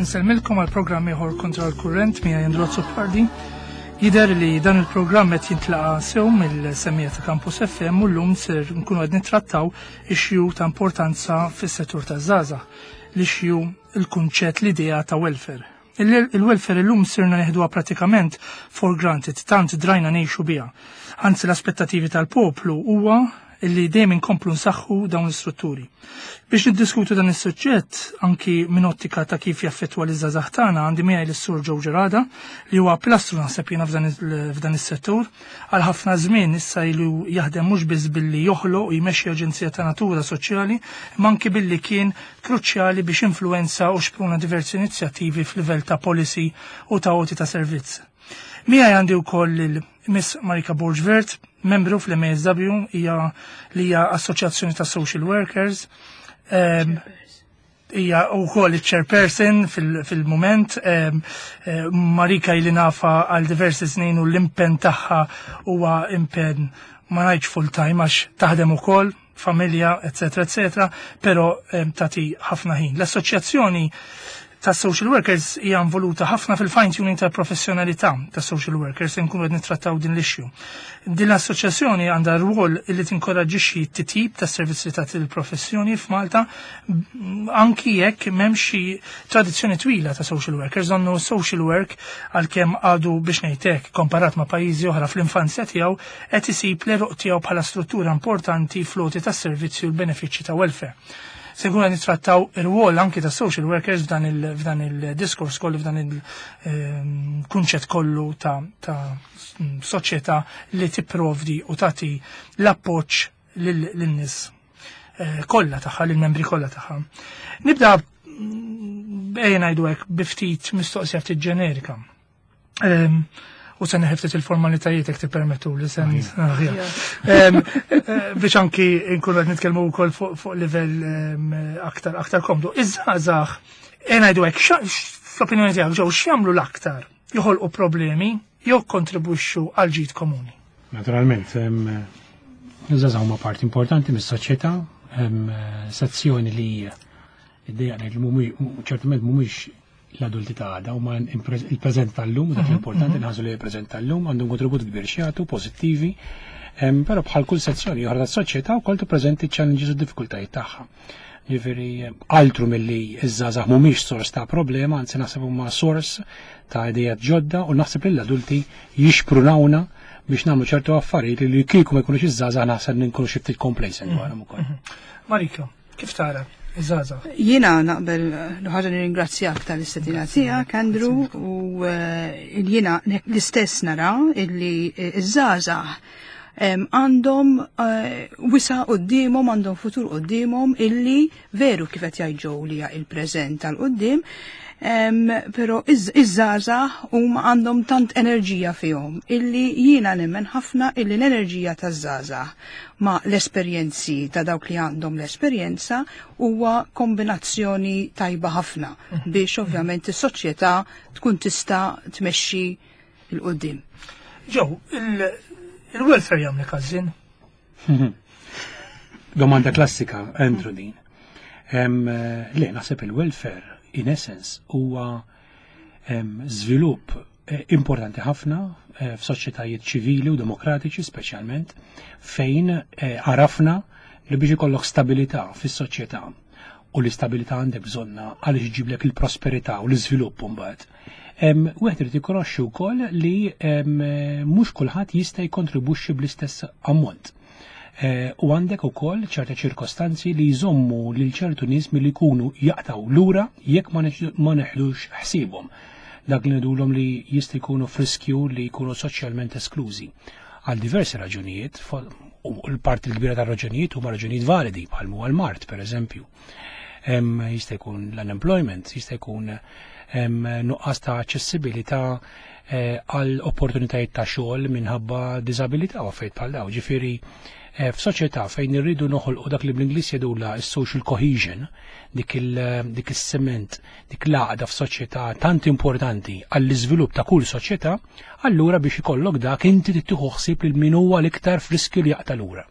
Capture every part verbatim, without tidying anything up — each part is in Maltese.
Insellmilkom għal programm ieħor Kontra l-Kurrent miegħi Andrew Azzopardi. Jidher li dan il-programm qed jintlaqa sew mill-semmiegħa ta' Campus F M u llum ser nkunu qed nittrattaw issue ta' importanza fis-settur taż-żgħażagħ. L-issue, il-kunċett, l-idea ta' welfare. Il-welfare illum sirna neħduha pratikament for granted, tant drajna ngħixu biha. Anzi, l-aspettativi tal-poplu huwa illi dejjem inkomplu nsaħħu dawn l-istrutturi. Biex niddiskutu dan is-suġġett anki minn ottika ta' kif jaffettwa l-żgħażagħ tagħna, għandi miegħi lis-Sur Joe Gerada, li huwa pilastru, naħseb jiena, f'dan is-settur. Għal ħafna żmien issa ilu jaħdem mhux biss billi joħloq u jmexxi aġenzija ta' natura soċjali, imma anki billi kien kruċjali biex influenza u xpruna diversi inizjattivi f'livell ta' policy u ta' għoti ta' servizz. Miegħi għandi wkoll il-Miss Marika Borg Vert, membru fl-M A S W, hija li hija Assoċjazzjoni ta' Social Workers. Hija wkoll il-chairperson fil-moment. Marika ili nafha għal diversi snin u l-impenn tagħha huwa impenn, ma ngħidx full time għax taħdem ukoll, familja, eccetera, eccetera, però tagħti ħafna ħin. L-assoċjazzjoni ta' social workers hija involuta ħafna fil-fine tuning tal-professjonalità ta' social workers, nkunu qed nittrattaw din l-issue. Din l-assoċjazzjoni għandha rwol li tinkoraġġixxi t-titjib ta' servizzi ta' il-professjoni f'Malta, anki jekk m'hemmx xi tradizzjoni twila ta' social workers, donnu social work, għalkemm għadu, biex ngħidlek, komparat ma' pajjiżi oħra fl-infanzja tiegħu, qed isib l-għeruq tiegħu bħala struttura importanti fl-għoti tas-servizzi u l-benefiċċji ta' welfare. Se nkunu nittrattaw ir-rwol anki ta' social workers f'dan il-diskors kollu, f'dan il-kunċett kollu ta', ta soċjetà li tipprovdi u tagħti l-appoġġ lin-nies eh, kollha tagħha, lill-membri kollha tagħha. Nibda, ejja ngħidu hekk, bi ftit mistoqsija ftit ġenerika. Em, U se neħi ftit il-formalitajiet jekk tippermettu li sen aħjar. Em, eh, biex anki nkunu qed nitkellmu wkoll fuq fuq livell em, aktar aktar komdu. Iż-żgħażagħ, ejja ngħidu hekk, xa- fl-opinjoni tiegħek, ġew x'jagħmlu l-aktar? Joħolqu problemi jew kontribwixxu għal ġid komuni? Naturalment, iż-żgħażagħ huma parti importanti mis-soċjetà, hemm sezzjoni li id-dejja ngħid li mhumiex, ċertament mhumiex l-adulti ta' għada, huma il-preżent tal-lum, dak l-importanti nħarsu li il-preżent tal-lum għandhom kontribut kbir x'jagħtu pożittivi, em, però bħal kull sezzjoni oħra tas-soċjetà wkoll tippreżenti challenges u diffikultajiet tagħha. Ġifieri, altru milli iż-żgħażagħ mhumiex sors ta' problema, anzi naħseb huma sors ta' idejat ġodda u naħseb li l-adulti jixprunawna biex nagħmlu ċertu affarijiet li kieku ma jkunux iż-żgħażagħ naħseb nkunu xi ftit complacent dwarhom ukoll. Marika, kif tara iż-żgħażagħ? Jiena naqbel, l-ħaġa nirringrazzjak tal-istedina tiegħek, Andrew, u eh, jiena l-istess nara illi iż-żgħażagħ em, għandhom eh, wisa' quddiemhom, għandhom futur quddiemhom illi veru kif qed jgħid Joe li hija il-preżent tal-qudiem, em, però iż-żgħażagħ huma għandhom tant enerġija fihom illi jiena nemmen ħafna illi l-enerġija taż-żgħażagħ ma l-esperjenzi ta' dawk li għandhom l-esperjenza huwa kombinazzjoni tajba ħafna biex ovvjament is-soċjetà tkun tista' tmexxi 'l quddiem. Joe, il-welfare jagħmlek għażżien? Domanda klassika, Andrew, din. Em, eh, Le, naħseb il-welfare, in essence, huwa em, żvilupp eh, importanti ħafna eh, f'soċjetajiet ċivili u demokratiċi speċjalment, fejn eh, għarafna li biex ikollok stabilità fis-soċjetà, u l-istabilità għandek bżonna għaliex iġiblek il-prosperità u l-iżvilupp mbagħad. Em, Wieħed irid jikkonoxxi wkoll li em, mhux kulħadd jista' jikkontribwixxi bl-istess ammont. Eh, u għandek ukoll ċerta ċirkostanzi li jżommu lil ċertu nies milli jkunu jaqtaw lura jekk ma neħ- ma neħdux ħsiebhom. Dak li ngħidulhom li jista' jkunu f'riskju li jkunu soċjalment esklużi. Għal diversi raġunijiet, fo- u l-parti l-kbira tar raġunijiet huma raġunijiet validi bħal huwa l-mard, per eżempju. Em, Jista' jkun l-unemployment, jista' jkun em, nuqqas ta' aċċessibilità eh, għal opportunitajiet ta' xogħol minħabba diżabilità u affarijiet bħal dawn. Ġifieri, eh, f'soċjetà fejn irridu noħolqu dak li bl-Ingliż jgħidulha s-social cohesion, dik il dik is-sement, dik l-għaqda f'soċjetà tant importanti għall-iżvilupp ta' kull soċjetà, allura biex ikollok dak inti tieħu ħsieb lil min huwa l-iktar f'riskju li jaqta' lura.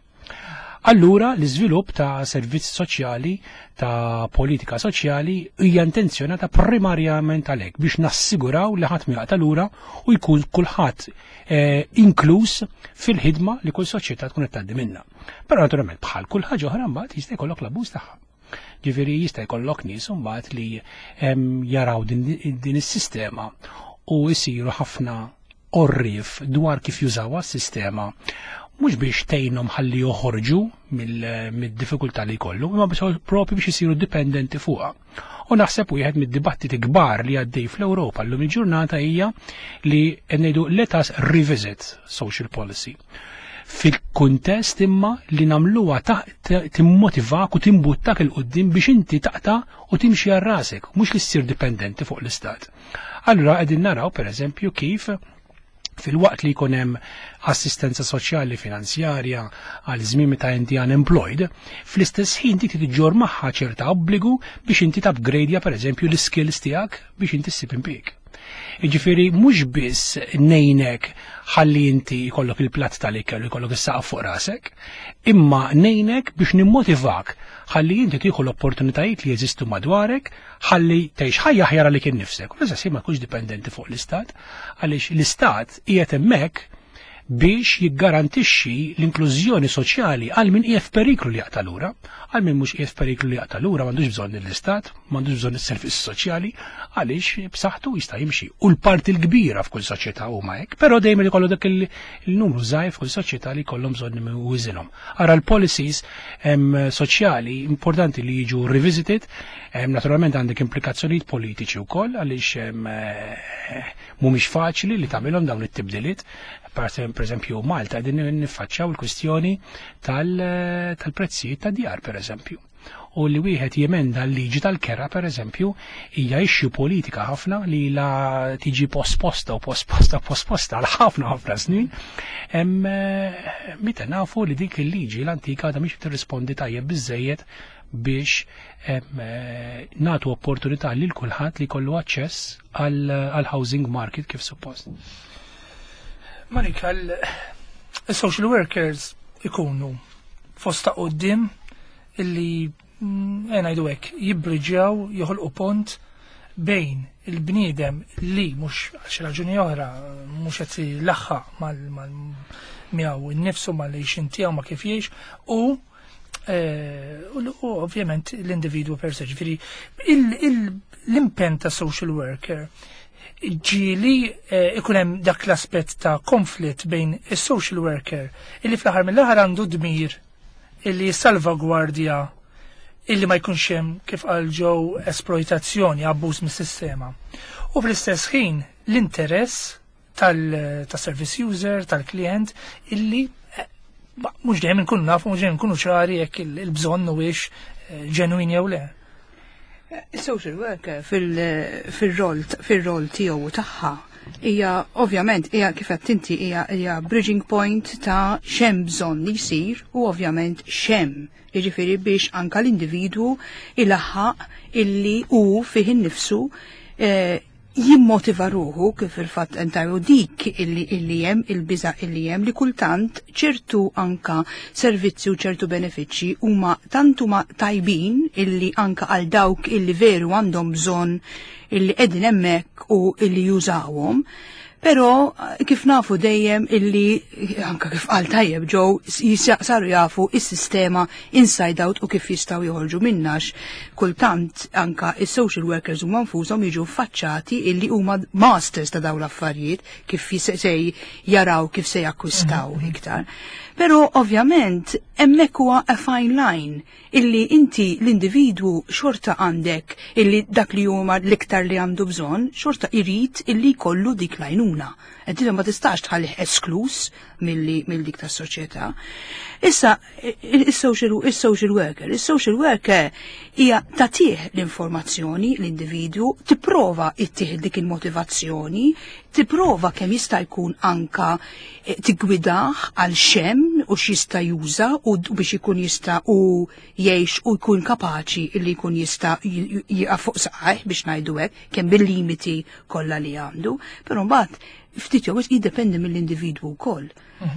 Allura l-iżvilupp ta' servizzi soċjali, ta' politika soċjali hija intenzjonata primarjament għalhekk biex nassiguraw li ħadd ma lura u jkun kulħadd eh, inkluż fil-ħidma li kull soċjetà tkun qed tgħaddi minnha. Però naturalment bħal kull ħaġa oħra mbagħad jista' jkollok l-abbuż tagħha. Ġifieri jista' jkollok nies mbagħad li jaraw din, din is-sistema u jsiru ħafna orrif dwar kif jużawha s-sistema mhux biex tgħinhom ħalli joħorġu mid-diffikultà li jkollu, imma biex propju biex isiru dipendenti fuqha. U naħseb wieħed mid-dibattiti kbar li għaddej fl-Ewropa llum il-ġurnata hija li ngħidu let us revisit social policy fil-kuntest imma li nagħmluha timmotivak u timbuttak 'il quddiem biex inti taqta' u timxi għal rasek, mhux li ssir dipendenti fuq l-istat. Allura qegħdin naraw pereżempju kif fil-waqt li jkun hemm assistenza soċjali finanzjarja għal żmien meta inti unemployed, fl-istess ħin dik tiġġor magħha ċerta obbligu biex inti tupgradeja pereżempju l-skills tiegħek biex inti ssib impjieg. Jiġifieri mhux biss ngħinek ħalli inti jkollok il-platt tal-ikel u jkollok is-saqaf fuq rasek, imma ngħinek biex nimmotivak ħalli inti tieħu l-opportunitajiet li jeżistu madwarek ħalli tgħix ħajja aħjar għalik innifsek. U l ma tkunx dipendenti fuq l-istat, għaliex l-istat qiegħed hemmhekk biex jiggarantixxi l-inklużjoni soċjali għal min qiegħed f'periklu li jaqta' lura, għal min mhux qiegħed f'periklu li jaqta' lura m'għandux bżonn l-istat, m'għandux bżonn is-servizz soċjali, għaliex b'saħħtu jista' jimxi. U l-parti l-kbira f'kull soċjetà huma hekk, però dejjem ikollu dak il-numru żgħir f'kull soċjetà li jkollhom bżonn iwiżinhom. Ara l-policies soċjali importanti li jiġu revisited, naturalment għandek implikazzjonijiet politiċi wkoll għaliex eh, mhumiex faċli li tagħmilhom dawn it-tibdiliet per eżempju Malta din niffaċċjaw il-kwistjoni tal-prezzijiet ta' djar per eżempju. U li wieħed jemenda l-liġi tal-kera per eżempju hija issue politika ħafna li la tiġi posposta u posposta posposta għal ħafna ħafna snin. Hemm meta nafu li dik il-liġi l-antika da mhix tirrispondi tajjeb biżejjed biex nagħtu opportunità lil kulħadd li jkollu aċċess għal housing market kif suppost. Marika, il-social workers ikunu fost ta' quddiem illi mm, ngħidu hekk jibbriġjaw joħolqu pont bejn il-bniedem li mhux għal raġuni oħra mhux qed ilaħħaq mal miegħu innifsu mal-għixien tiegħu ma kif jgħix u eh, u ovvjament l-individwu per se. Ġifieri l-impenn ta' social worker ġieli eh, ikun hemm dak l-aspett ta' konflitt bejn is-social worker illi fl-aħħar mill-aħħar għandu dmir illi salvagwardja illi ma jkunx hemm kif qal ġew esploitazzjoni, abbuż mis-sistema. U fl-istess ħin l-interess tal-service user, tal-klient illi eh, mhux dejjem inkunu nafu, mhux dejjem nkunu ċari jekk il-bżonn huwiex eh, ġenwin jew le. Il-social worker fil-rol fil-rol tiegħu tagħha hija ovvjament hija kif qed inti hija hija bridging point ta' x'hemm bżonn li jsir u ovvjament x'hemm jiġifieri biex anka l-individwu ilaħħaq illi hu fih innifsu eh, jimmotiva ruħu kif il-fatt entajru dik illi illi hemm il-biża illi hemm li kultant ċertu anka servizzi u ċertu benefiċċji huma tant huma tajbin illi anka għal dawk illi veru għandhom bżonn illi qegħdin hemmhekk u illi jużawhom. Pero kif nafu dejjem illi anka kif qal tajjeb ġew saru jafu is-sistema inside out u kif jistgħu joħorġu minnax. Kultant anka is-social workers huma nfushom jiġu faċċati illi huma masters ta' dawn l-affarijiet kif se jaraw kif se jakkwistaw mhm. iktar. Pero ovvjament hemmhekk huwa a fine line illi inti l-individwu xorta għandek illi dak li huma l-iktar li għandu bżonn xorta irid illi jkollu dik l-għajnuna. Qed ma tistax tħallih esklus milli mill dik tas-soċjetà. Issa is-social is-social worker, is-social worker hija tagħtih l-informazzjoni l-individwu, tipprova ittih dik il-motivazzjoni, tipprova kemm jista' jkun anka eh, tigwidah għal x'hemm u x'jista' juża u biex ikun jista' u jgħix u jkun kapaċi illi jkun jista' jieqaf fuq saqajh biex ngħidu hekk kemm bil-limiti kollha li għandu. Però mbagħad ftit jew wisq jiddependi mill-individwu wkoll.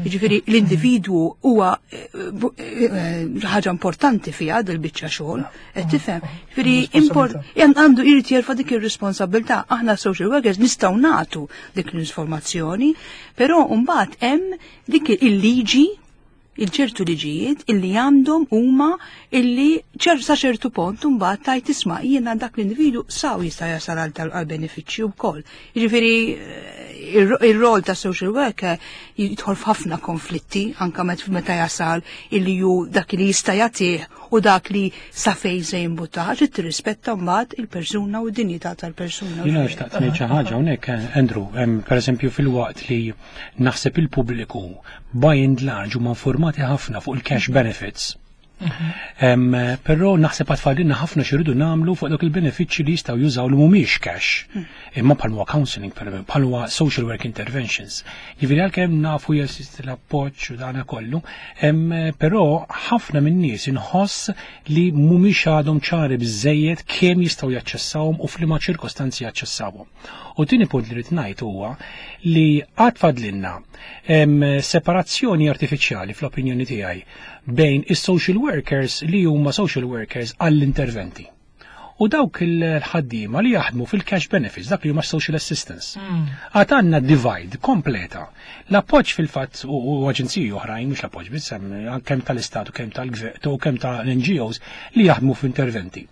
Jiġifieri l-individwu huwa eh, bu- eh, ħaġa importanti fiha dil-biċċa xogħol, qed tifhem. Jiġifieri import għandu jrid jerfa' dik ir-responsabilità. Aħna social workers nistgħu nagħtu dik l-informazzjoni, però mbagħad hemm dik il-liġi, il-ċertu liġijiet illi għandhom huma illi ċer sa ċertu punt mbagħad tajt isma' jiena dak l-individu saw jista' jasal għal tal-benefiċċju wkoll. Jiġifieri eh, ir-rol ta' social worker jidħol f'ħafna konflitti anka meta jasal illi ju dak li jista' jagħtih u dak li sa fejn se jimbutta, trid tirrispetta mbagħad il-persuna u d-dinjità tal-persuna. Jiena xtaqt ngħid xi ħaġa hawnhekk, Andrew, pereżempju fil-waqt li naħseb il-pubbliku by and large huma informati ħafna fuq il-cash benefits. Em, Però naħseb għad fadlilna ħafna x'iridu nagħmlu fuq dawk il-benefiċċji li jistgħu jużaw li mhumiex cash. Imma bħal huwa counseling, per bħal huwa social work interventions. Jiġifieri għalkemm nafu jeżisti l-appoġġ u dana kollu, em, però ħafna min-nies inħoss li mhumiex għadhom ċari biżejjed kemm jistgħu jaċċessawhom u f'liema ċirkostanzi jaċċessawhom. U tieni punt li rrid ngħid huwa li għad fadlilna em, separazzjoni artifiċjali fl-opinjoni tiegħi bejn is-social workers li huma social workers għall-interventi. U dawk il-ħaddiema li jaħdmu fil-cash benefits, dak li huma social assistance. Għad għandna divide kompleta. L-appoġġ fil-fatt u u aġenziji oħrajn, mhux l-appoġġ biss, hemm kemm tal-Istat u kemm tal-gvern u kemm tal-N G Os li jaħdmu f'interventi.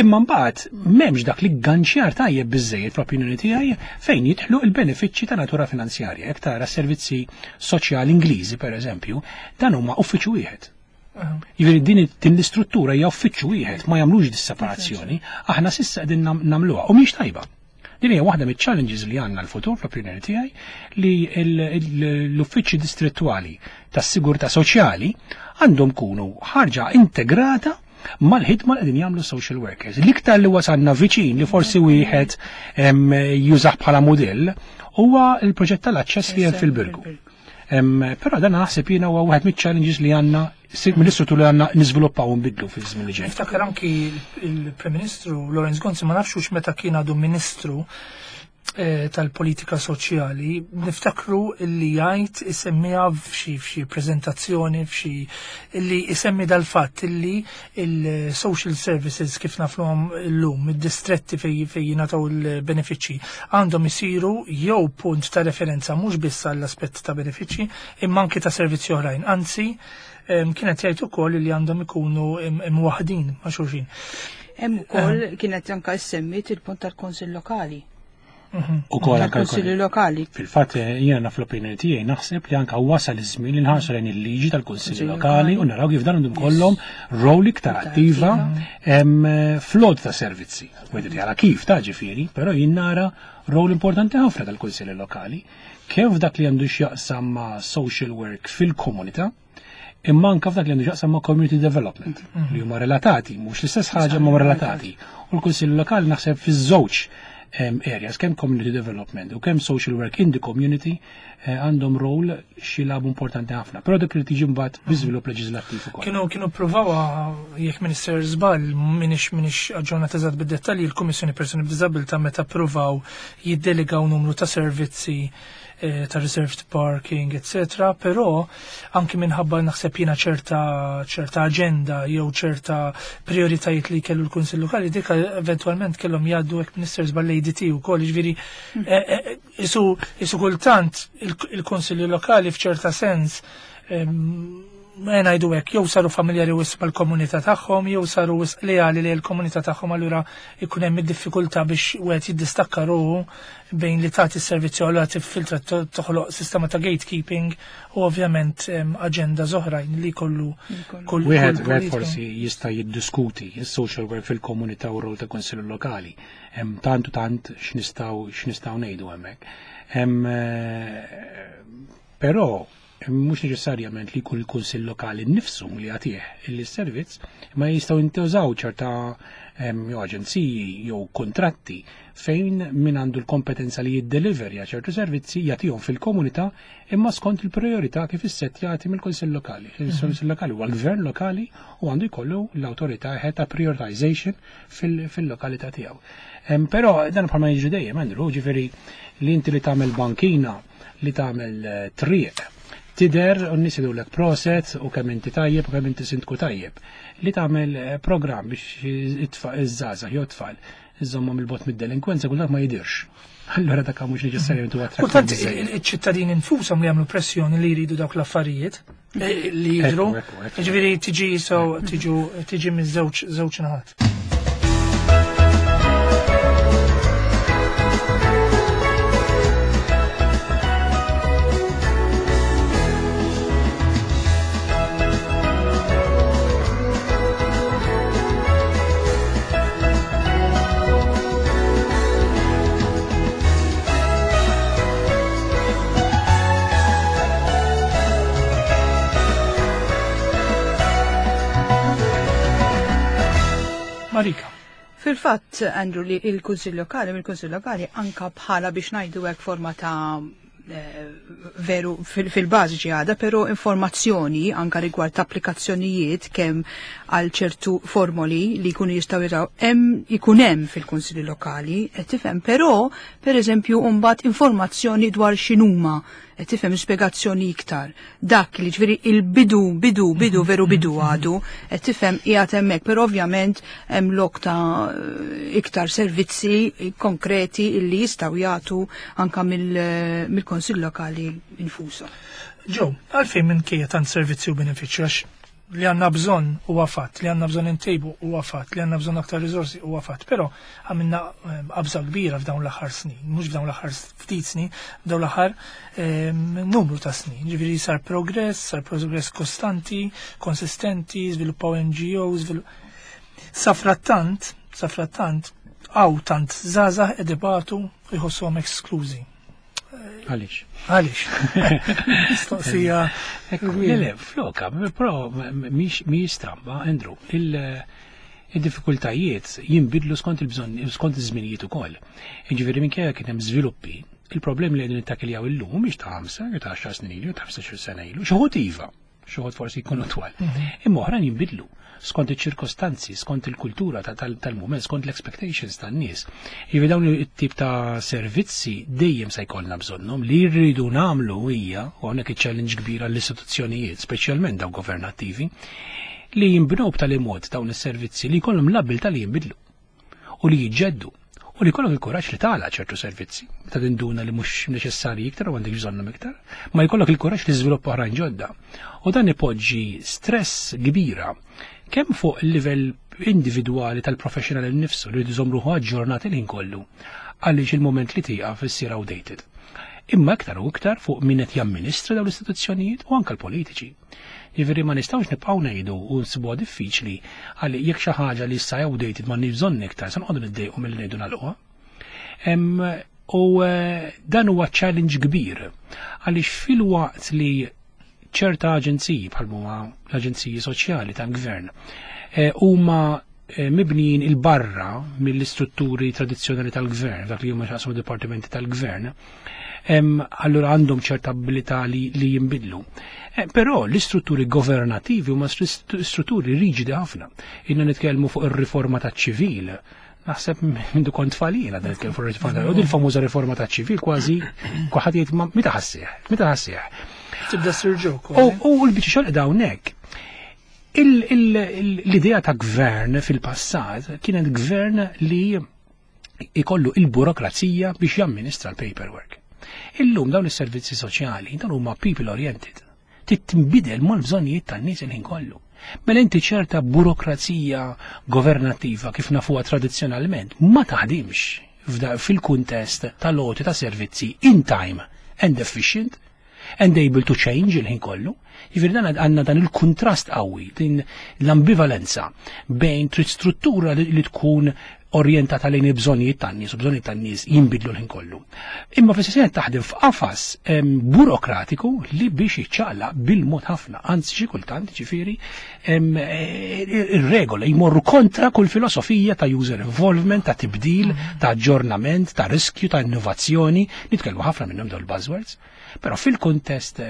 Imma mbagħad m'hemmx dak li ganċjar tajjeb biżejjed fl-opinjoni tiegħi fejn jidħlu il-benefiċċji ta' natura finanzjarja. Jekk tara servizzi soċjali Ingliżi, pereżempju, dan huma uffiċċju wieħed. Jiġifieri din din l-istruttura hija uffiċċju wieħed, ma jagħmlux dis-separazzjoni, aħna s'issa qegħdin nam- nagħmluha u mhix tajba. Din hija waħda miċ-challenges li għandna l-futur fl-opinjoni tiegħi, li l-uffiċċji distrettuali tas-sigurtà soċjali għandhom kunu ħarġa integrata mal-ħidma li qegħdin jagħmlu social workers. L-iktar li wasalna viċin li forsi wieħed jużah bħala modell huwa l-proġett tal-aċċess li hemm fil-Birgu. Però dan naħseb jiena huwa wieħed miċ-challenges li għandna mill-istruttur li għandna niżviluppaw u nbidlu fi żmien li ġej. Niftakar anki il-Prim Ministru Lawrence Gonzi, ma nafx meta kien għadu Ministru eh, tal-politika soċjali, niftakru illi jgħid isemmiha f'xi f'xi prezentazzjoni, f'xi illi isemmi dal-fatt illi il-social services kif nafluhom illum, id-distretti fej fej jingħataw il-benefiċċji, għandhom isiru jew punt ta' referenza mhux biss għall-aspett ta' benefiċċji imma anki ta' servizzi oħrajn. Anzi, kienet jgħid ukoll li għandhom ikunu imwaħdin ma' xulxin. Hemm ukoll kienet anke semmit il-punt tal-Kunsill Lokali. U kol anka Kunsilli lokali. Fil-fatt jiena fl-opinjoni tiegħi naħseb li anka wasal iż-żmien li nħarsu lejn il-liġi tal-kunsilli lokali u naraw kif dan għandhom kollhom rol iktar attiva flod ta' servizzi. Wieħed jara kif ta' ġifieri, però jien nara rol importanti ħafna tal-kunsilli lokali kif dak li għandu x'jaqsam ma' social work fil-komunità, imma anka f'dak li għandu x'jaqsam ma' community development li huma relatati, mhux l-istess ħaġa ma relatati. U l-kunsilli lokali naħseb fiż-żewġ areas, kemm community development u kemm social work in the community, eh, għandhom rol x'jilagħbu importanti ħafna. Però dak li tiġi mbagħad bi żvilupp leġislattiv ukoll. Kienu kienu provawa, jekk Minister żball, minix minix aġġornat eżatt bid-dettalji, il-Kummissjoni Persuni b'Diżabilità meta provaw jiddelegaw numru ta' servizzi eh, ta' reserved parking, eccetera. Però anki minħabba naħseb jiena ċerta ċerta agenda jew ċerta prioritajiet li kellu l-Kunsill Lokali, dik eventualment kellhom jgħaddu, hekk Minister żball, A D T ukoll, jiġifieri eh, eh, isu isu kultant il-Kunsilli Lokali f'ċerta sens, ma ngħidu hekk, jew saru familjari wisq mal-komunità tagħhom jew saru wisq leali li l-komunità tagħhom, allura ikun hemm id-diffikultà biex wieħed jiddistakka ruħu bejn li tagħti s-servizzi u tiffiltra, toħloq sistema ta' gatekeeping u ovvjament aġenda oħrajn li kollu kull wieħed wieħed forsi jista' jiddiskuti is-social work fil-komunità u r-rol ta' kunsilli lokali. Hemm tant u tant x'nistgħu x'nistgħu ngħidu hemmhekk. Hemm eh, però Mhux neċessarjament li jkun il-kunsill lokali nnifsu li jagħtih il-servizz, ma jistgħu jintużaw ċerta jew aġenziji jew kontratti fejn min għandu l-kompetenza li jiddeliverja ċertu servizzi jagħtihom fil-komunità imma skont il-priorità kif issettjati mill-kunsill lokali. Il-kunsill lokali huwa l-gvern lokali u għandu jkollu l-awtorità ta' prioritization fil-lokalità tiegħu. Però dan bħalma jiġri dejjem, Andrew, ġifieri li inti li tagħmel bankina, li tagħmel triq, tider u n-nies jgħidulek proset u kemm inti tajjeb u kemm inti sindku tajjeb. Li tagħmel programm biex iż-żgħażagħ jew tfal iżommhom il-bot mid-delinkwenza kultant ma jidirx. Allura dak mhux neċessarjament huwa attrattiv. Kultant iċ-ċittadini nfushom li jagħmlu pressjoni li jridu dawk l-affarijiet li jidhru. Jiġifieri tiġi so tiġu tiġi miż-żewġ żewġ naħat. Marika. Fil-fatt, Andrew, li il-Kunsill Lokali, mill-Kunsill Lokali anka bħala biex ngħidu hekk forma ta' veru fil-bażi għada, però informazzjoni anka rigward applikazzjonijiet kemm għal ċertu formoli li jkunu jistgħu jiraw hemm ikun hemm fil-Kunsilli Lokali, qed tifhem, però pereżempju mbagħad informazzjoni dwar x'inhuma, qed tifhem spjegazzjoni iktar. Dak li ġifieri il-bidu, bidu, bidu, veru bidu għadu, qed tifhem qiegħed hemmhekk, però ovvjament hemm lok ta' iktar servizzi konkreti illi jistgħu jagħtu anka mill-Kunsill Lokali infushom. Ġew, għalfejn minkejja tant servizzi u benefiċċju għax li għandna bżonn huwa fatt, li għandna bżonn intejbu huwa fatt, li għandna bżonn aktar riżorsi huwa fatt, però għamilna qabża kbira f'dawn l-aħħar snin, mhux f'dawn l-aħħar ftit snin, f'dawn l-aħħar numru ta' snin. Ġifieri sar progress, sar progress kostanti, konsistenti, żviluppaw N G Os, safrattant, safrattant, għaw tant żgħażagħ qed ibatu u jħossuhom eksklużi. Għalix? Għalix? Mistoqsija. Le, le, floka, però mhix stramba, Andrew, il-diffikultajiet jinbidlu skont il-bżonn, skont iż-żminijiet ukoll. Jiġifieri minkejja kien hemm żviluppi, il-problemi li qegħdin nittakiljaw illum mhix ta' ħamsa, jew ta' għaxar snin ilu, jew ta' ħmistax-il sena ilu, xi wħud iva, xi wħud forsi jkunu twal. Imma oħrajn jinbidlu skont iċ-ċirkostanzi, skont il-kultura tal-mument, skont l-expectations tan-nies. Jiġifieri dawn it-tip ta' servizzi dejjem se jkollna bżonnhom. Li rridu nagħmlu hija, u hawnhekk iċ-challenge kbira l-istituzzjonijiet, speċjalment dawn governattivi, li jinbnew b'tali mod dawn is-servizzi li jkollhom l-abilità li jinbidlu u li jiġġeddu u li jkollok il-kuraġġ li tagħlaq ċertu servizzi meta tinduna li mhux neċessarji iktar u għandek bżonnhom iktar, ma jkollok il-kuraġġ li żviluppa oħrajn ġodda. U dan ipoġġi stress kbira kemm fuq il-livell individwali tal-professional innifsu li jridu jżomm ruħu aġġornat il-ħin kollu għaliex il-moment li tieqaf issir outdated. Imma iktar u iktar fuq min qed jamministra dawn l-istituzzjonijiet u anke l-politiċi. Jiġifieri ma nistgħux nibqgħu ngħidu u nsibuha diffiċli għalli jekk xi ħaġa li issa outdated ma bżonn iktar se noqogħdu niddejqu milli ngħidu nagħlquha. U dan huwa challenge kbir għaliex fil-waqt li ċerta aġenziji bħal huma l-aġenziji soċjali tal-gvern huma mibnijin il-barra mill-istrutturi tradizzjonali tal-gvern, dak li huma x'jaqsmu dipartimenti tal-gvern, allura għandhom ċerta abilità li, li jinbidlu. Però l-istrutturi governativi huma strutturi riġidi ħafna. Inna nitkellmu fuq ir-riforma taċ-ċivil. Naħseb mindu kont tfalina dan nitkellmu fuq ir-riforma, u din il-famuża riforma taċ-ċivil kważi kulħadd jgħid meta ħassih, meta ħassih. Tibda ssir ġok. U l-biċċa xogħol qiegħda hawnhekk. L-idea ta' gvern fil-passat kienet gvern li ikollu il-burokrazija biex jamministra l-paperwork. Illum dawn is-servizzi soċjali dawn huma people oriented. Tittinbidel mal-bżonnijiet tan-nies il-ħin kollu. Mela inti ċerta burokrazija governattiva kif nafuha tradizzjonalment ma taħdimx fil-kuntest tal-għoti ta' servizzi in time and efficient and able to change il-ħin kollu. Jiġifieri dan għandna dan il-kuntrast qawwi, din l-ambivalenza bejn trid struttura li tkun orjentata lejn il-bżonnijiet tan-nies u bżonnijiet tan-nies jinbidlu l-ħin kollu. Imma fl-istess taħdem f'qafas burokratiku li biex jiċċaqlaq bil-mod ħafna, anzi xi kultant ġifieri ir-regola jmorru kontra kull filosofija ta' user involvement, ta' tibdil, ta' aġġornament, ta' riskju, ta' innovazzjoni, nitkellmu ħafna minnhom dawn il-buzzwords. Però fil-kontest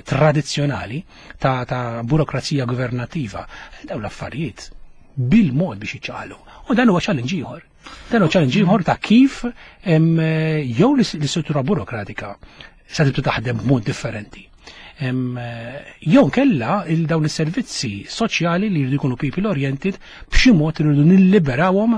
tradizzjonali ta', ta' burokrazija governativa, dawn l-affarijiet bil-mod biex jiċċaqalqu. U dan huwa challenge ieħor. Dan huwa challenge ieħor ta' kif jew l-istruttura burokratika sa tibda taħdem b'mod differenti. Jew kella il dawn is-servizzi soċjali li jridu jkunu people oriented b'xi mod irridu nilliberawhom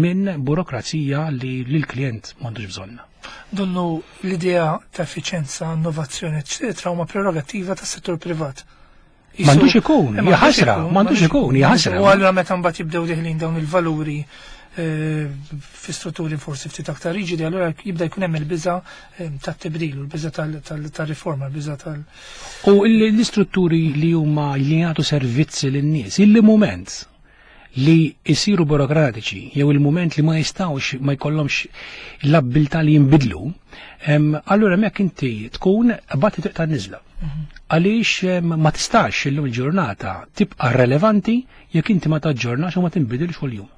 minn burokrazija li l-klient m'għandux bżonna. Donnu l-idea ta' effiċenza, innovazzjoni, eccetera, huma prerogattiva tas-settur privat. M'għandux ikun, hija ħasra, m'għandux ikun, hija ħasra. U allura meta mbagħad jibdew deħlin dawn il-valuri eh, fi strutturi forsi ftit aktar riġidi, allura jibda jkun hemm il-biża eh, tat-tibdil, il-biża tal-riforma, il-biża tal- U l-istrutturi li huma li jagħtu servizzi lin-nies, il-mument li jisiru burokratiċi jew il-mument li ma jistawx ma jkollhomx l-abbiltà li jinbidlu, allura hemmhekk inti tkun bati triq tan-niżla. Għaliex ma tistax illum il-ġurnata tibqa' relevanti jekk inti ma taġġornax u ma tinbidilx kuljum.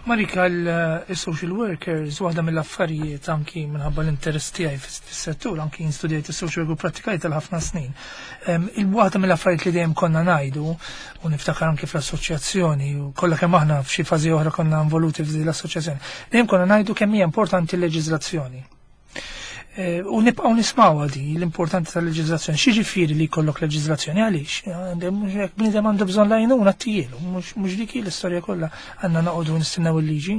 Marika, il-social workers, waħda mill-affarijiet anki minħabba l-interess tiegħi fis-settur, anki studjajt il-social work u prattikajt għal ħafna snin. Il-waħda mill-affarijiet li dejjem konna ngħidu, u niftakar anki fl-assoċjazzjoni, u kollha kemm aħna f'xi fażi oħra konna involuti f'din l-assoċjazzjoni, dejjem konna ngħidu kemm hija importanti l-leġiżlazzjoni. Eh, u nibqgħu nismgħu di l-importanti tal-leġiżlazzjoni. X'jiġifieri li jkollok leġiżlazzjoni għaliex? Jekk bniedem għandu bżonn l-għajnuna ttihielu, mhux dik l-istorja kollha għandna noqogħdu nistennew il-liġi.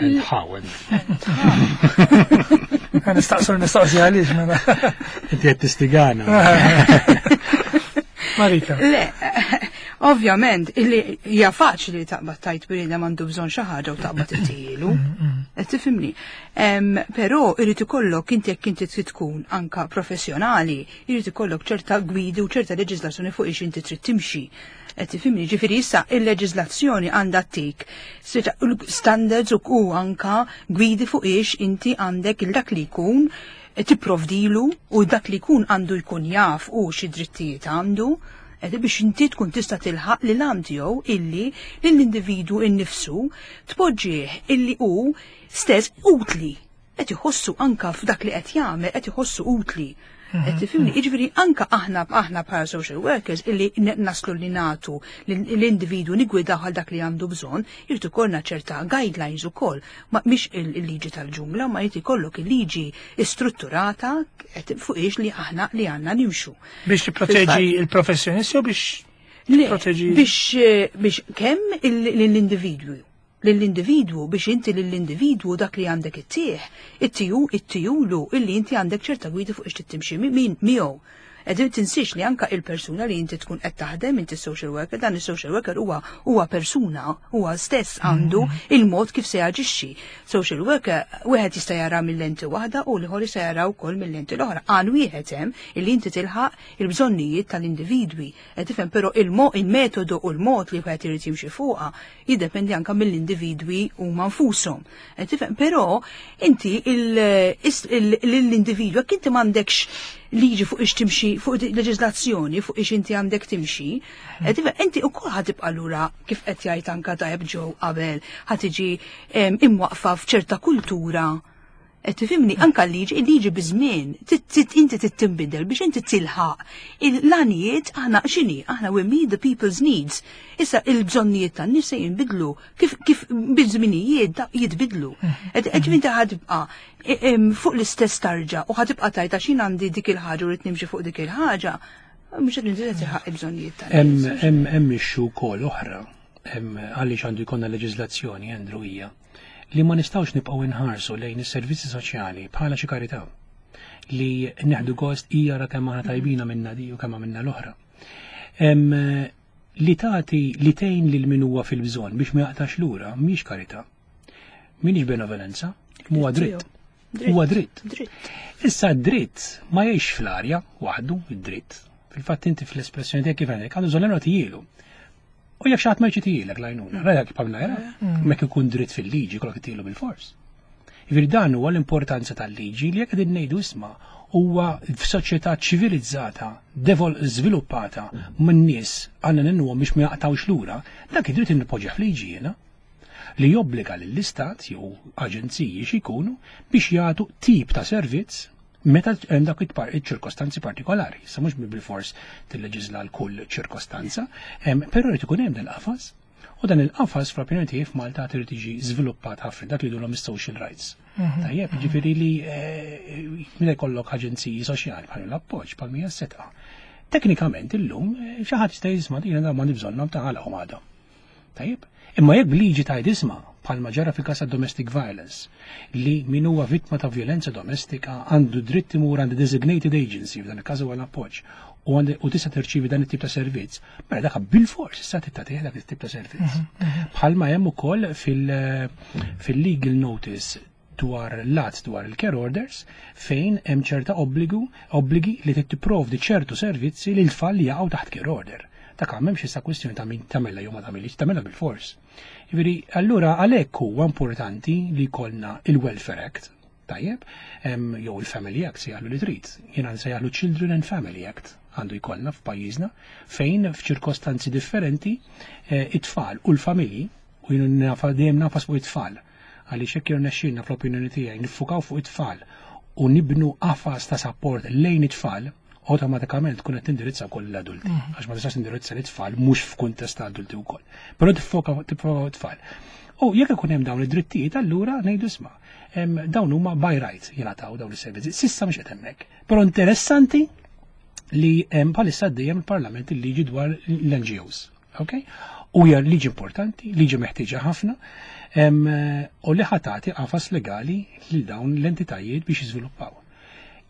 Nħawel. Nistaqsu l-mistoqsija għaliex mela. Inti qed tistigana. Marika. Le, ovvjament, illi hija faċli taqbad tgħid bniedem għandu bżonn xi ħaġa u taqbad ittihielu. Qed tifhimni. Però irid ikollok inti jekk inti trid tkun anka professjonali, irid ikollok ċerta gwidi u ċerta leġiżlazzjoni fuq ix inti trid timxi. Qed tifhimni, ġifieri issa il-leġiżlazzjoni għandha tik standards u anka gwidi fuq ix inti għandek il dak li jkun tipprovdilu u dak li jkun għandu jkun jaf u xi drittijiet għandu biex inti tkun tista' tilħaq li l tiegħu illi lill-individwu innifsu tpoġġih illi hu stess utli. Qed iħossu anka f'dak li qed jagħmel qed iħossu utli. Qed tifhimni, jiġifieri anka aħna aħna bħala social workers illi naslu li nagħtu l-individwu nigwidaw għal dak li għandu bżonn, irid ikollna ċerta guidelines ukoll, ma mhix il-liġi tal-ġungla, ma jrid ikollok il-liġi strutturata fuq ix li aħna li għandna nimxu. Biex tipproteġi il-professjonisti u biex tipproteġi biex biex kemm l-individwu lill-individwu biex inti lill-individwu dak li għandek ittih, ittiju, ittijulu illi inti għandek ċerta gwidi fuq ix timxi min miegħu. Qegħdin tinsiex li anka il-persuna li inti tkun qed taħdem, inti social worker, dan is-social worker huwa huwa persuna, huwa stess għandu il-mod kif se jaġixxi. Social worker wieħed jista' jara mill-lenti waħda u l-ieħor jista' jara wkoll mill-lenti l-oħra. Għan wieħed hemm illi inti tilħaq il-bżonnijiet tal-individwi. Qed tifhem però il-metodu u l-mod li wieħed irid jimxi fuqha jiddependi anka mill-individwi huma nfushom. Qed tifhem però inti l-individwu jekk inti m'għandekx liġi fuq ix timxi, fuq leġiżlazzjoni fuq ix inti għandek timxi, inti wkoll ħa tibqa' lura kif qed jgħid anka tajjeb ġew qabel, ħa tiġi imwaqfa f'ċerta kultura. Qed tifhimni anka l-liġi, il-liġi biż-żmien, inti tittinbidel biex inti tilħaq l-għanijiet aħna x'inhi, aħna we meet the people's needs. Issa il-bżonnijiet tan-nies se jinbidlu kif kif biż-żminijiet jitbidlu. Qed inti ħa tibqa' fuq l-istess tarġa u ħa tibqa' tgħid għax jien għandi dik il-ħaġa u rrid nimxi fuq dik il-ħaġa, mhux qed inti tilħaq il-bżonnijiet tan-nies. Hemm issue wkoll oħra għaliex għandu jkollna leġiżlazzjoni, Andrew, hija li ma nistgħux nibqgħu inħarsu lejn is-servizzi soċjali bħala xi karità li neħdu gost hija ra kemm aħna tajbina minna di u kemm minna l-oħra. Li tagħti li tgħin lil min huwa fil-bżonn biex ma jaqtax lura mhix karità. Mhix benevolenza, huwa dritt. Huwa dritt. Issa dritt ma jgħix fl-arja waħdu id-dritt. Fil-fatt inti fl-espressjoni tiegħek kif għandek għandu bżonn nagħtijielu. U jekk xi ħadd ma jċitilek l-għajnuna, rajak bħalna jara, mek ikun dritt fil-liġi kollok itilu bil-fors. Jiġifieri dan huwa l-importanza tal-liġi li jekk qegħdin ngħidu, isma', huwa f'soċjetà ċivilizzata, devol żviluppata minn nies għandna ngħinuhom biex ma jaqtawx lura, dak id-dritt inpoġġih f'liġi jiena li jobbliga lill-istat jew aġenziji xi jkunu biex jagħtu tip ta' servizz meta hemm dak iċ-ċirkostanzi partikolari. Sa mhux bil-fors tilleġisla l kull ċirkostanza, però jrid ikun hemm dal-qafas. U dan il-qafas fl-opinjoni tiegħi f'Malta trid tiġi żviluppat ħafna, dak li jgħidulhom is-social rights. Tajjeb, ġifieri li eh, meta jkollok aġenziji soċjali bħal l-Appoġġ, bħal mija Sedqa. Teknikament illum eh, xi ħadd jista' jisma' jiena ma bżonnhom ta' għalhom għadhom. Tajjeb, imma jekk b'liġi tgħid, isma', bħalma ġara fil-każ ta' domestic violence, li min huwa vittma ta' violenza domestika għandu dritt imur għand designated agency, f'dan il-każ huwa l-Appoġġ, u għandi u tista' terċivi dan it-tip ta' servizz, mela dak bil-fors issa tagħtih dak it-tip ta' servizz. Bħalma hemm ukoll fil- fil-legal notice dwar l-att dwar il-care orders, fejn hemm ċerta obbligu obbligi li tipprovdi ċertu servizzi li l-tfal li jaqgħu taħt care order. Dak m'hemmx issa kwistjoni ta' min tagħmilha jew ma tagħmilx, tagħmilha bil-fors. Jiġifieri allura għalhekk huwa importanti li jkollna il-Welfare Act, tajjeb, em, jew il-Family Act, sejjaħlu li trid. Jiena nsejjaħlu Children and Family Act għandu jkollna f'pajjiżna, fejn f'ċirkostanzi differenti eh, it-tfal u l-familji, u jien nafa dejjem nagħfas fuq it-tfal, għaliex jekk jirnexxielna, fl-opinjoni tiegħi, niffukaw fuq it-tfal u nibnu qafas ta' support lejn it-tfal, automatikament tkun qed tindirizza wkoll l-adulti. Għax ma tistax tindirizza l-itfal mhux f'kuntest ta' adulti wkoll. Però tiffoka tiffoka it-tfal. U jekk ikun hemm dawn id-drittijiet, allura ngħidu, isma', em, dawn huma by right jingħataw dawn is-servizzi. S'issa mhux qed hemmhekk. Però interessanti li hemm bħalissa dejjem il-Parlament il-liġi dwar l-N G Os. Ok? U hija liġi importanti, liġi meħtieġa ħafna, em, u li ħa tagħti qafas legali lil dawn l-entitajiet biex jiżviluppaw.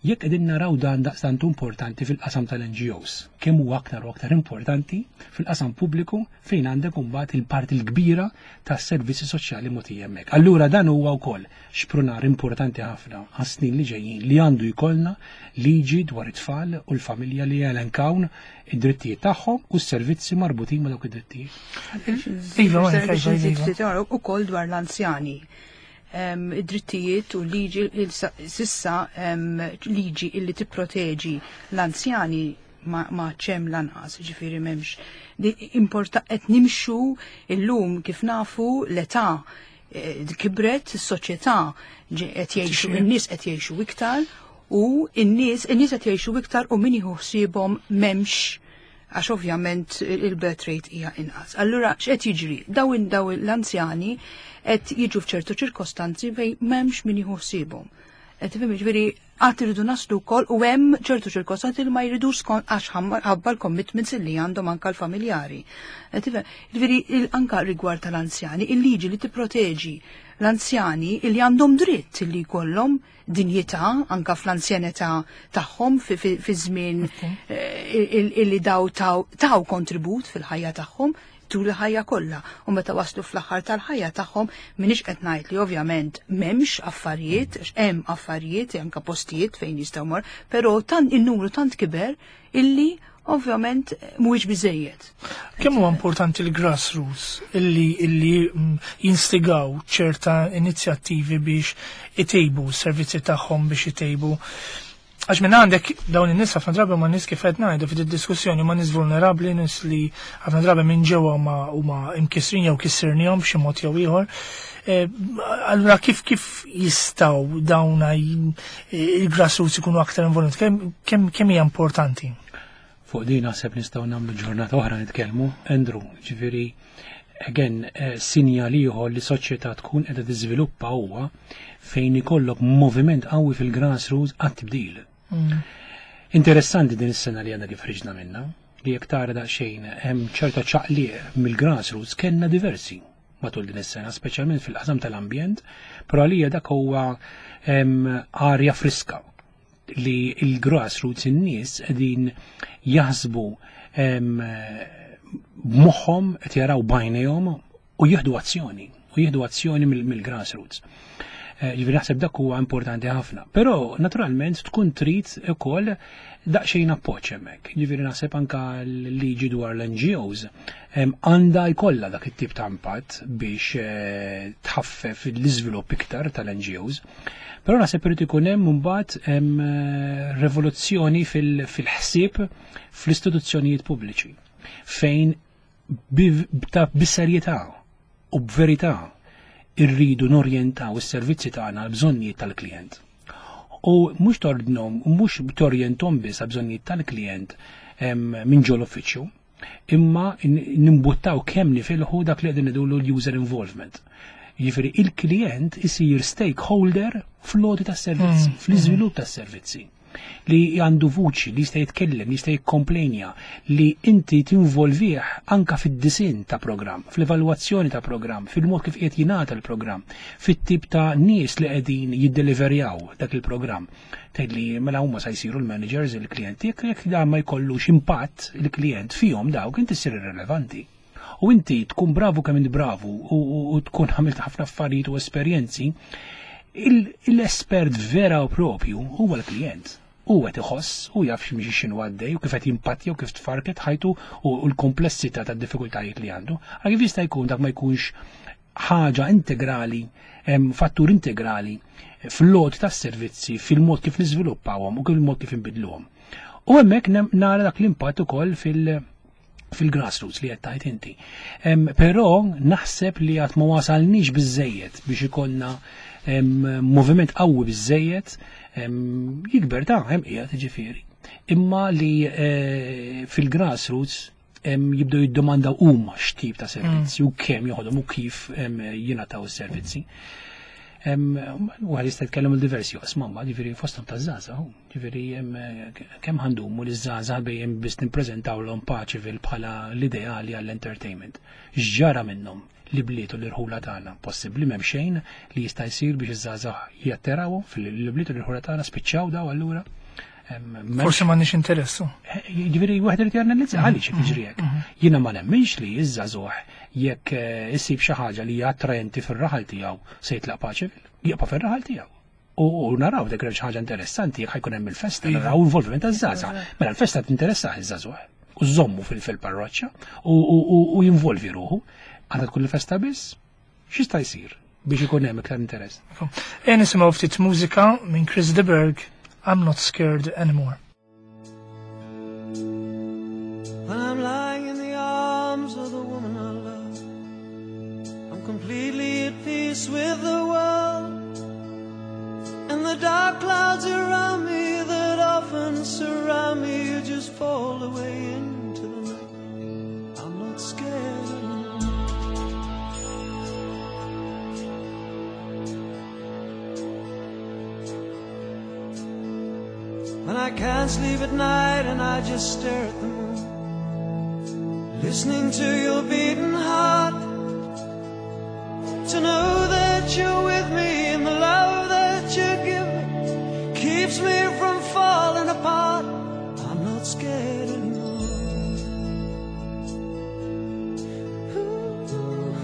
Jekk qegħdin naraw dan daqstant importanti fil-qasam tal-N G Os, kemm huwa aktar u aktar importanti fil-qasam pubbliku, fejn għandek imbagħad il-parti l-kbira tas-servizzi soċjali mogħtija hemmhekk. Allura dan huwa wkoll xprunar importanti ħafna għas-snin li ġejjin, li għandu jkollna liġi dwar it-tfal u l-familja li jelenkaw id-drittijiet tagħhom u s-servizzi marbutin ma' dawk id-drittijiet. Iva, Monika, iva, iva. U dwar l-anzjani. Em, Id-drittijiet u liġi il- s'issa em, liġi illi tipproteġi l-anzjani ma, ma ċem lanqas, ġifieri m'hemmx. Di importa qed nimxu illum, kif nafu, l-età eh, kibret, is-soċjetà ġi- qed jgħixu Tixjih. in-nies qed jgħixu iktar u n-nies in-nies qed jgħixu iktar u min jieħu ħsiebhom m'hemmx, għax ovvjament il-birth rate hija inqas. Allura x'qed jiġri? Dawn daw l-anzjani qed jiġu f'ċertu ċirkostanzi fejn m'hemmx min jieħu ħsiebhom. Qed tifhem, ġifieri qatt iridu naslu wkoll u hemm ċertu ċirkostanzi li ma jridux skont għax ħabba l-commitments li għandhom anka l-familjari. Qed tifhem, ġifieri il- anka rigward tal-anzjani, il-liġi li tipproteġi l-anzjani li għandhom dritt li jkollhom dinjità anka fl-anzjanità tagħhom fi- fi fi żmien eh, il- illi daw taw taw kontribut fil-ħajja tagħhom tul il-ħajja kollha. U meta waslu fl-aħħar tal-ħajja tagħhom, m'iniex qed ngħid li ovvjament m'hemmx affarijiet, għax hemm affarijiet, anka postijiet fejn jistgħu mor, però tant in-numru tant kiber illi ovvjament mhuwiex biżejjed. Kemm huwa importanti l-grassroots illi illi mm, jinstigaw ċerta inizjattivi biex itejbu s-servizzi tagħhom, biex itejbu, għax minn għandek dawn in-nies ħafna drabi ma nies, kif qed ngħidu fid diskussjoni, ma nies vulnerabbli, nies li ħafna drabi minn ġewwa huma huma imkissrin jew kissirnihom b'xi mod jew ieħor. Eh, Allura kif kif jistgħu dawn il-grassroots ikunu aktar involuti? Kemm kemm kemm hija importanti? Fuq din naħseb nistgħu nagħmlu ġurnata oħra nitkellmu, Andrew, ġifieri again, eh, sinjal ieħor li soċjetà tkun qiegħda tiżviluppa huwa fejn ikollok moviment qawwi fil-grassroots għat-tibdil. Interessanti din is-sena li għandna kif ħriġna minna, li jekk tara daqsxejn hemm ċerta ċaqliq mill-grassroots, kellna diversi matul din is-sena, speċjalment fil-qasam tal-ambjent, però għalija dak huwa em, arja friska li il-grassroots, in-nies qegħdin jaħsbu em, b'moħħhom, qed jaraw b'għajnejhom u jieħdu azzjoni, u jieħdu azzjoni mill- mill-grassroots. Ġifieri naħseb dak huwa importanti ħafna. Però naturalment tkun trid ukoll daqsxejn appoġġ hemmhekk. Ġifieri naħseb anka l-liġi dwar l-N G Os għandha jkollha dak it-tip ta' impatt biex eh, tħaffef l-iżvilupp iktar tal-N G Os. Però naħseb irid ikun hemm imbagħad eh, rivoluzzjoni fil-ħsieb fl-istituzzjonijiet pubbliċi fejn bis-serjetà u b'verità irridu norjentaw is-servizzi tagħna għal bżonnijiet tal-klient. U mhux tordnhom, u mhux torjenthom biss għal bżonnijiet tal-klient minn ġol uffiċċju, imma nimbuttaw kemm nifilħu dak li qegħdin ngħidulu l-user involvement. Jiġifieri il-klient isir stakeholder fl-għoti tas-servizzi, mm. fl-iżvilupp tas-servizzi, li għandu vuċi, li jista' jitkellem, li jista' jikkomplejnja, li inti tinvolvih anka fid-disin ta' programm, fl-evalwazzjoni ta' programm, fil-mod kif qiegħed jingħata l-programm, fit-tip ta' nies li qegħdin jiddeliverjaw dak il-programm. Tgħid li mela huma sa jsiru l-managers, il-klijenti, jekk jekk dan ma jkollux impatt il-klient fihom dawk, inti ssir irrelevanti. U inti tkun bravu kemm int bravu u tkun għamilt ħafna affarijiet u esperjenzi, l-espert vera u propju huwa l-klient. U qed iħoss u jaf x'mhix x'inhu għaddej u kif qed jimpattja u kif tfarket ħajtu u l-komplessità tad-diffikultajiet li għandu. Għal kif jista' jkun dak ma jkunx ħaġa integrali, fattur integrali fl-għoti tas-servizzi, fil-mod kif niżviluppawhom u fil-mod kif inbidluhom. U hemmhekk nara dak l-impatt ukoll fil- fil-grassroots li qed tgħid inti. Però naħseb li għad ma wasalniex biżejjed biex ikollna moviment qawwi biżejjed jikber ta' hemm qiegħed ġifieri. Imma li eh, fil-grassroots jibdew jiddomandaw huma x'tip ta' servizzi u kemm joħodhom u kif jingħataw is-servizzi. U għal jista' jitkellem il-diversi oqsma, ma ġifieri fosthom ta' żgħażagħ, ġifieri kemm ħa ndumu li żgħażagħ bejjem biss nippreżentawlhom Paceville bħala l-ideali għall-entertainment? X'ġara minnhom li bliet u l-irħula tagħna? Possibbli m'hemm xejn li jista' jsir biex iż-żgħażagħ jattirawhom fil-bliet u l-irħula tagħna? Spiċċaw daw allura? Forsi m'għandniex interessu. Eh, ġifieri wieħed irid janalizza mhm, għaliex jiġri hekk. Mhm. Jiena ma nemminx li iż-żagħżugħ jekk eh, issib xi ħaġa li hija attraenti fir-raħal tiegħu se jitlaq Paceville, jibqa' fir-raħal tiegħu. U naraw dak xi ħaġa interessanti jekk ħa jkun hemm il-festa, iva. Naraw involviment taż-żgħażagħ. Mela l-festa tinteressa iż-żagħżugħ. U żommu fil-parroċċa u jinvolvi ruħu. Għandha tkun il-festa biss? X'jista' jsir biex ikun hemm iktar interess? E nisimgħu ftit mużika minn Chris de Burgh, "I'm Not Scared Anymore." When I'm lying in the arms of the woman I love, I'm completely at peace with the world. And the dark clouds around me that often surround me just fall away into the night. I'm not scared anymore. When I can't sleep at night and I just stare at the moon, listening to your beating heart, to know